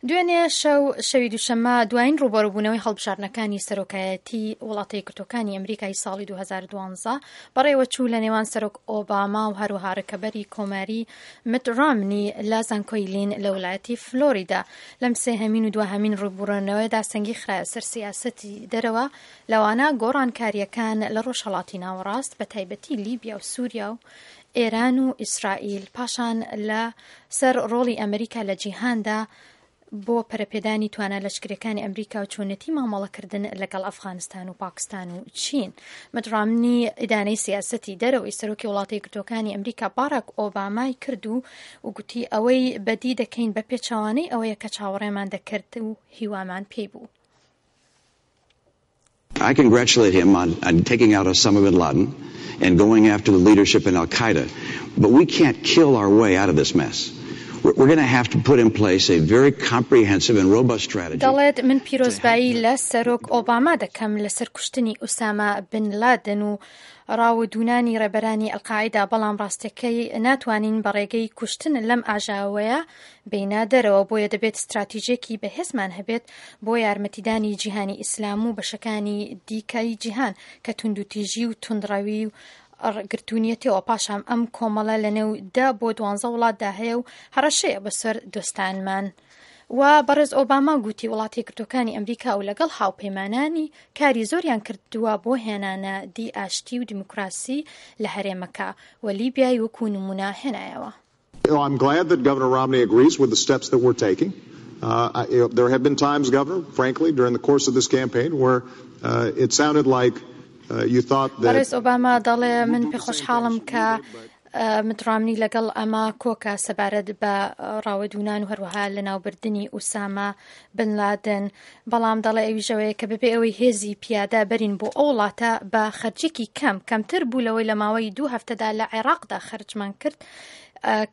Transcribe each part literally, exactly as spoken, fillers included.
دوێنێ شەو، شەوی دووشەممە، دوایین ڕووبەڕووبوونەوەی هەڵبژاردنەکانی سەرۆکایەتی وڵاتە یەکگرتووەکانی ئەمریکای ساڵی دوو هەزار و دوازدە بەڕێوەچوو لە نێوان سەرۆک ئۆباما و هەروەها ڕکەبەری کۆماری مت ڕامنی لە زانکۆی لین لە وڵایەتی فلۆریدا. لەم سێهەمین و دواهەمین ڕووبەڕوونەوەیدا سەنگی خرایە سەر سیاسەتی دەرەوە، لەوانە گۆڕانکارییەکان لە ڕۆژهەڵاتی ناوەڕاست، بە تایبەتی لیبیا و سووریا و ئێران و ئیسرائیل، پاشان لە سەر ڕۆڵی ئەمریکا لە جیهاندا بۆ پەرەپێدانی توانا لەشکریەکانی ئەمریکا و چۆنێتی مامەڵەکردن لەگەڵ ئەفغانستان و پاکستان و چین. مت ڕامنی ئیدانەی سیاسەتی دەرەوەی سەرۆکی وڵاتە یەکگرتووەکانی ئەمریکا باراک ئۆبامای کرد و گوتی ئەوەی بەدی دەکەین بە پێچەوانەی ئەوەیە کە چاوەڕێمان دەکرد و هیوامان پێی بوو. I congratulate him on, on taking out Osama bin Laden and going after the leadership in Al Qaeda. But we can't kill our way out of this mess. We're going to have to put in place a very comprehensive and robust strategy. دەڵێت من پیرۆزبایی لە سەرۆک ئۆباما دەکەم لەسەر کوشتنی ئوسامە بن لادن و ڕاودوونانی ڕێبەرانی ئەلقاعیدا، بەڵام ڕاستەکەی ناتوانین بە ڕێگەی کوشتن لەم ئاژاوەیە بینە دەرەوە، بۆیە دەبێت استراتیژێکی بەهێزمان هەبێت بۆ یارمەتیدانی جیهانی ئیسلام و بەشەکانی دیکەی جیهان کە توندوتیژی و توندڕەوی و گرتوونیەتەوە. پاشام ئەم کۆمەڵە لە نێو دە بۆ دوانزە وڵاتدا هەیە و هەڕەشەیە بەسەر دۆستانمان. و بەڕێز ئۆباما گوتی وڵاتی یەکگرتووەکانی ئەمریکا و لەگەڵ هاوپەیمانانی کاری زۆریان کردووە بۆ هێنانە دی ئاشتی و دیموکراسی لە هەرێمەکە و لیبیای وەکو نمونە هێنایەوە. I'm glad that Governor Romney agrees with the steps that we're taking. Uh, I, you know, there have been times, Governor, frankly, during the course of this campaign where uh, it sounded like uh, you thought that... بەڕێز ئۆباما دەڵێ من پێخۆشحاڵم کە مت ڕامنی لەگەڵ ئەمە کۆکە سەبارەت بە ڕاوەدوونان و هەروەها لە ناوبردنی ئوسامە بن لادن، بەڵام دەڵێ ئەویشەوەیە کە بەبێ ئەوەی هێزی پیادە بەرین بۆ ئەو وڵاتە بە خەرجێکی کەم کەمتر بوو لەوەی لە ماوەی دوو هەفتەدا لە عێراقدا خەرجمان کرد.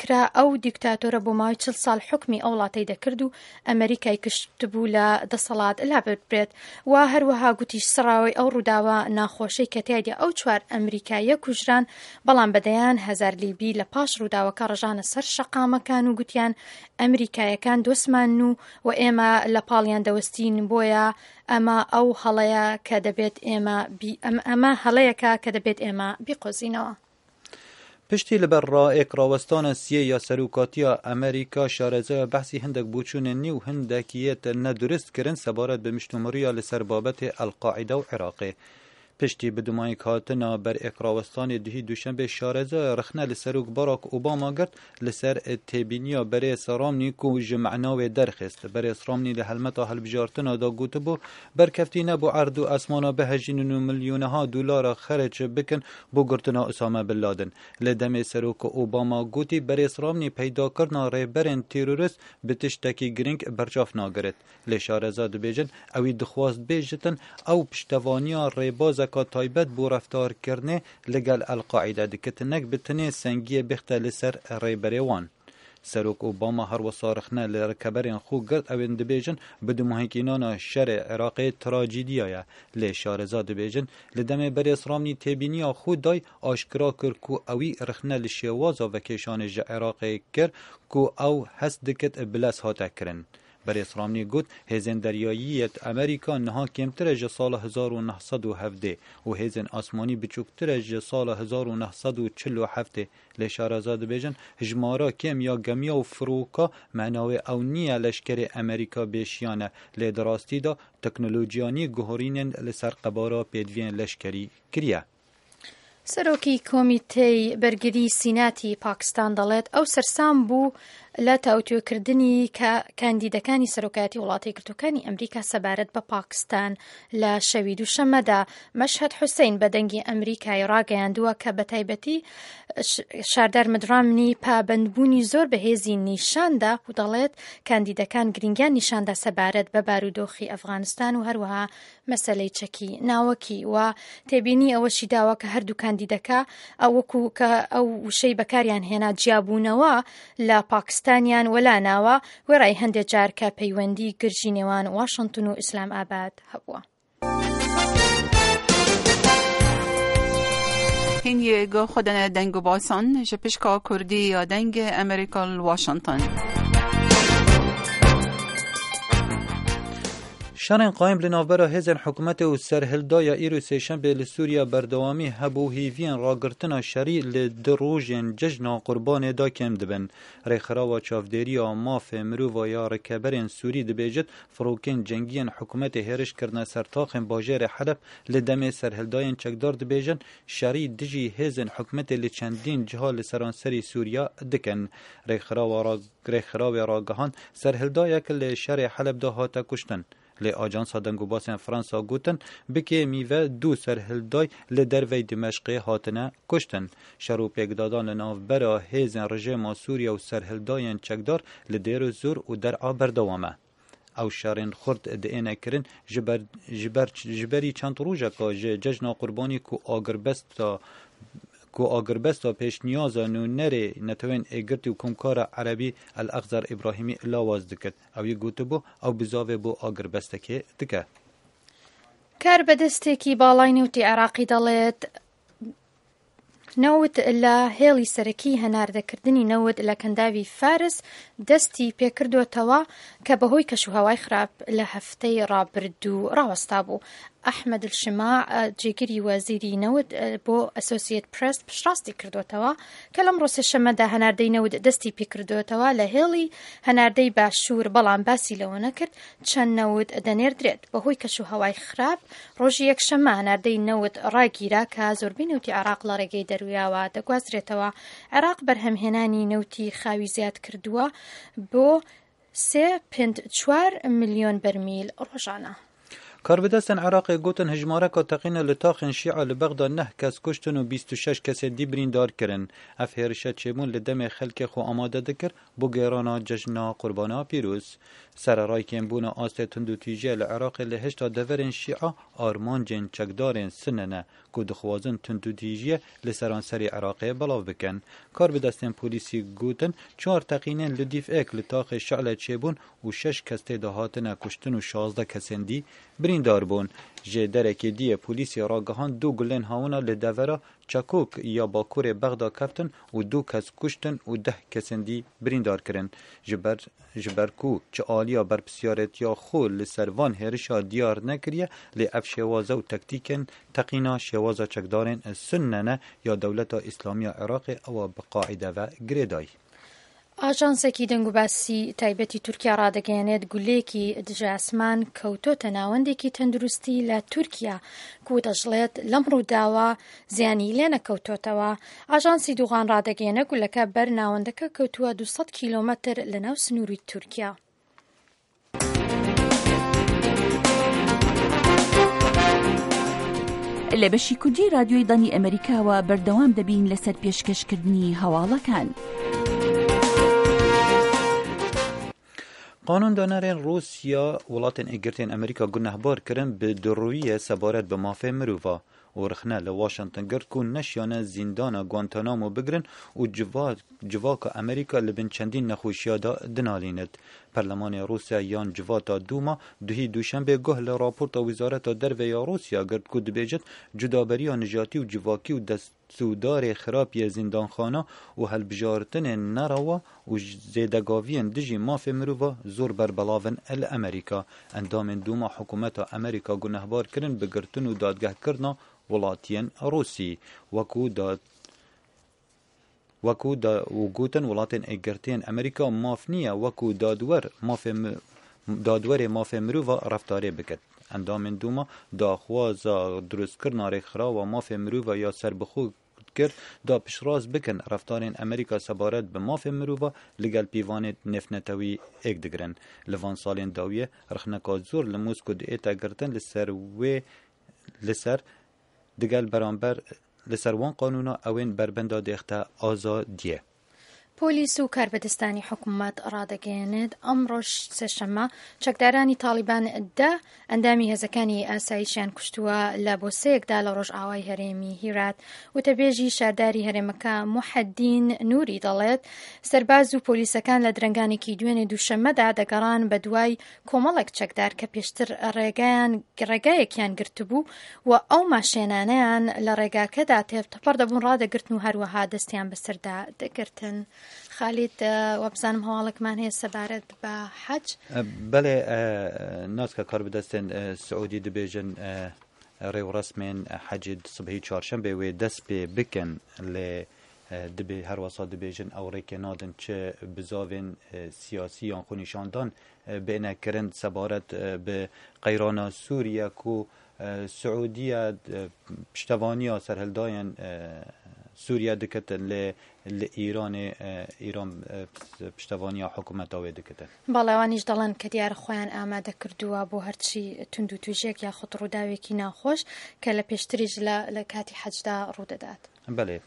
کرا ئەو دیکتاتۆرە بۆ ماوەی چل ساڵ حکمی ئەو وڵاتەی دەکرد و ئەمریکای کشتبوو لە دەسەڵات لا ببرێت. و هەروەها گوتیش سڕاوەی ئەو ڕووداوە ناخۆشەی کە تیایدا ئەو چوار ئەمریکاییە کوژران، بەڵام بەدەیان هەزار لیبی لە پاش ڕووداوەکە ڕژانە سەر شەقامەکان و گوتیان ئەمریکایەکان دۆستمان و و ئێمە لە پاڵیان دەوەستین، بۆیە ئەمە ئەو هەڵەیە کە دەبێت ئێمە ئەمە هەڵەیەکە کە دەبێت ئێمە بیقۆزینەوە. پشتی لەبەر ڕائێک ڕاوەستانە سیە یا سەرۆکاتیا ئەمریکا شارەزایە بەحسی هەندێک بۆچوونە نی و هەندێکیەت نەدروست کردن سەبارەت بە مشتومڕیە لەسەر بابەتی ئەلقاعیدە و عێراقێ. پشتی بدومایک هاتنە بەر ئێکراوەستانی دهی دوشەنبێ شارەزایە ڕخنە لە سەرۆک باراک ئۆباما گرت لەسەر تێبینیە بەرێز ڕامنی کو ji معناوێ دەرخست. بەرێز ڕامنی لە هەلمەتا هەلبژارتنەدا گوتبوو بەرکەفتی نەبوو عەرد و ئەسمانە بهەژینن و ملیۆنەها دلارە خەرج بکەن بۆ گرتنا ئوسامە بن لادن. لە دەمێ سەرۆک ئۆباما گوتی بەرێز ڕامنی پەیداکردنا ڕێبەرên تیرۆریست bi tiştekî girîng berçav nagirit. Lê şareza dibêjin ewî dixwast bêjitin ew piştevaniya rêbazeka taybet bû reftarkirinê li gel El-Qaîde diketinek bi tenê sengiyê bixte li ser rêberê wan. Serok Obama her wisa rexne li rikeberên xwe girt ewên dibêjin bi dimahîkînana şerê Iraqê trajediya ye. Lê şareza dibêjin li demê berê Ramnî têbîniya xwe day aşkira kir ku ewî rexne li şêwaza vekêşanê ji Iraqê kir ku ew hest dikit bilez hate kirin. Berêz Ramnî got hêzên deryayiyet Amerîka niha kêmtir e ji sala hezar û neh sed û hevdê û hêzên asmanî biçûktir e ji sala hezar û neh sed û çil û heftê. Lê şareza dibêjin hejmara kêm ya gemiya û firoka menawê ew niye leşkerê Amerîka bêşiyan e, lê di rastî de teknolojiyanî guherînên li ser qebara pêdiviyên leşkerî kiriye. سەرۆکی کۆمیتەی بەرگری سیناتی پاکستان دەڵێت ئەو سەرسام بوو لە تاوتوێکردنی کاندیدەکانی سەرۆکایەتی وڵاتە یەکگرتووەکانی ئەمریکا سەبارەت بە پاکستان لە شەوی دووشەممەدا. مەشهەد حوسەین بە دەنگی ئەمریکای ڕاگەیاندووە کە بە تایبەتی شاردار مت ڕامنی پابەندبوونی زۆر بەهێزی نیشاندا و دەڵێت کاندیدەکان گرنگیان نیشاندا سەبارەت بە بارودۆخی ئەفغانستان و هەروەها مەسەلەی چەکی ناوەکی و تێبینی ئەوەشی داوە کە هەردوو کاندیدەکە ئەو وەکو کە ئەو وشەی بەکاریان هێنا جیابوونەوە لە پاکستانیان وەلا ناوە، وێڕای هەندێک جار کە پەیوەندی گرژی نێوان واشنگتن و ئیسلام ئاباد هەبووە. هینگی خودن دنگ و باسان جپشکا کردی یا دنگ امریکا واشنگتن. شەڕên قایم li navbera hêzên hikûmetê û serhildaya îro sêşembê li Sûriya berdewamî hebû hêviyên ragirtina şerî li di rojên cejna Qurbanê de kêm dibin. Rêxirawa çavdêriya mafê mirova ya rikeberên Sûrî dibêjit firokên cengiyên hikûmetê hêriş kirine ser taxên bajarê Heleb li demê serhildayên çekdar dibêjin şerî dijî hêzên hikûmetê li çendîn ciha li seranserî Sûriya dikin. Rêxirawa rêxirawê ragihand serhildayek li şerê Heleb de hate kuştin. Lê ajansa dengûbasên Fransa gotin bikê mîve du serhilday li dervey Dimeşqê hatine kuştin. Şer û pêkdadan li navbera hêzên rejîma Sûriye û serhildayên çekdar li Dêrezor û Der'a berdewam e. Ew şerên xurt diêne kirin ji ber ji ber ji berî çend rojeka ji cejna Qurbanî ku agirbesta ku agirbesta pêşniyaza nûnerê Netewên Êgirtî û Komkara Erebî El-Exzer İbrahîmî lawaz dikir. Ew yê gotibû ew bizavê bo agirbestekê dike. کاربەدەستێکی باڵای نەوتی عێراقی دەڵێت نەوت لە هێڵی سەرەکی هەناردەکردنی نەوت لە کەنداوی فارس دەستی پێکردوتەوە کە بەهۆی کەشوهەوای خراپ لە هەفتەی ڕابردوو ڕاوەستا بوو. ئەحمەد الشماع جێگری وەزیری نەوت بۆ ئەسۆسیەت پرێس پشتڕاستی کردوتەوە کە لەم ڕۆژ سێشەممەدا هەناردەی نەوت دەستی پێکردوتەوە لە هێڵی هەناردەی باشوور، بەڵام باسی لەوە نەکرد چەند نەوت دەنێردرێت. بەهۆی کەشوهەوای خراپ ڕۆژی یەکشەممە هەناردەی نەوت ڕاگیرا کە زۆربەی نەوتی عێراق لە ڕێگەی دەرویاوە دەگوازرێتەوە. عێراق بەرهەمهێنانی نەوتی خاوی زیاد کردووە بۆ سێ پێنج چوار ملیۆن بەرمیل ڕۆژانە. کاربەدەستên Iraqê gotin hejmareka teqîna li taxên Şîa li Bexda neh kes kuştin û bîst û şeş kesê dî birîndar kirin. Ev hêrişe çêbûn li demê xelkê xwe amade dikir bo gêrana cejna Qurbana pîroz. Sereray kêmbûna astê tundûtîjiye li Iraqê li hişta deverên Şîa armancên çekdarên Sinne ne ku dixwazin tundûtîjiye li seranserî Iraqê belav bikin. Karbidestên polîsî gotin çar teqînên li dîf êk li taxê Şe'le çêbûn û şeş kes tê de hatine kuştin û şazdeh kesên dî birîndar bûn. Ji derekê diyê polîsê ragihand du gulên hawina li devera Çakok ya Bakurê Bexda keftin û du kes kuştin û deh kesên dî birîndar kirin. Ji ber ji ber ku çi aliya berpirsyaretiya xwe li ser van hêrişa diyar nekiriye lê ev şêwaze û tektîkên teqîna şêwaza çekdarên Sunne ne ya Dewleta Îslamiya Iraqê ew bi qaîde ve girêdayî. ئاژانسێکی دەنگوباسی تایبەتی تورکیا ڕادەگەیەنێت گولەیەکی دژە ئاسمان کەوتۆتە ناوەندێکی تەندروستی لە تورکیا کو دەژڵێت لەم ڕووداوە زیانی لێ نەکەوتۆتەوە. ئاژانسی دووغان ڕادەگەیەنە گولەکە بەر ناوەندەکە کەوتووە دووسەد کیلۆمەتر لەناو سنووری تورکیا. لە بەشی کوردی رادیۆی دەنگی ئەمریکاوە بەردەوام دەبین لەسەر پێشکەشکردنی هەواڵەکان. قانوندانەرên Rûsya welatên Êgirtên Amerîka gunehbar kirin bi durûyê sebaret bi mafê mirova û rixne li Washington girt ku neşiyane zîndana Guantanamo bigirin û civaka Amerîka li bin çendîn nexweşiya de dinalînit. Perlemanê Rûsya yan civata Duma duhî duşembê guh li raporta Wezareta Derve ya Rûsya girt ku dibêjit cudaberiya nijatî û civakî û destûdarê xirab yê zîndanxana û hilbijartinên nerewa û zêdegaviyên dijî mafê mirova zor berbelavin li Amerîka. Endamên Duma hikûmeta Amerîka gunehbar kirin bi girtin û dadgehkirina welatiyên Rûsî wekû dad وەکو و gotin welatên Êgirtiyên Amerîka maf niye wekû dadwer mafê dadwerê mafê mirova reftarê bikin. Endamên Duma daxwaza dirustkirina rêxirawa mafê mirova ya serbixwe kir da piştrast bikin reftarên Amerîka sebaret bi mafê mirova li gel pîvanê nêvnetewî êk digirin. Li van salên dawiyê rixneka zor li Moskو diête girtin li ser wê li ser digel beramber li ser wan qanûna ewên berbenda dêxte azadiye. پۆلیس و کاربەدەستانی حکوومەت ڕادەگەیەنێت ئەمڕۆژ سێشەممە چەکدارانی تاڵیبان دە ئەندامی هێزەکانی ئاسایشیان کوشتووە لە بۆسەیەکدا لە ڕۆژئاوای هەرێمی هیرات. وتەبێژی شارداری هەرێمەکە موحەدین نوری دەڵێت سەرباز و پۆلیسەکان لە درەنگانێکی دوێنێ دووشەممەدا دەگەڕان بە دوای کۆمەڵێک چەکدار کە پێشتر ڕێگایان ڕێگایەکیان گرتبوو و ئەو ماشێنانەیان لە ڕێگاکەدا تێپەڕ دەبوون ڕادەگرتن و هەروەها دەستیان بەسەردا دەگرتن. خالید، وابزانم هەواڵێکمان هەیە سەبارەت بە حەج. بەڵێ ناسکە کاربەدەستێن سعودی دەبێژن ڕێوڕەسمێن حەجی سبهی چوارشەمبێ وێ دەست پێ بکەن، لێ دەبێ هەروەسا دەبێژن ئەو ڕێکێ نادن چ بزاڤێن سیاسی یان خۆنیشاندان بێنەکردن سەبارەت بە قەیرانە سووریە و سعودیە پشتەوانیا سەرهەڵدایەن سووریا دکتن لێ لە ئیرانێ ئیران پشتەوانیا حکوومەتا وێ دکتن. بەڵێ ئەوانیش دەڵێن کە دیارە خۆیان ئامادە کردووە بۆ هەرچی توند و توژێک یاخود ڕووداوێکی ناخۆش کە لە پێشتریش لە کاتی حەجدا ڕوودەدات. بەڵێ.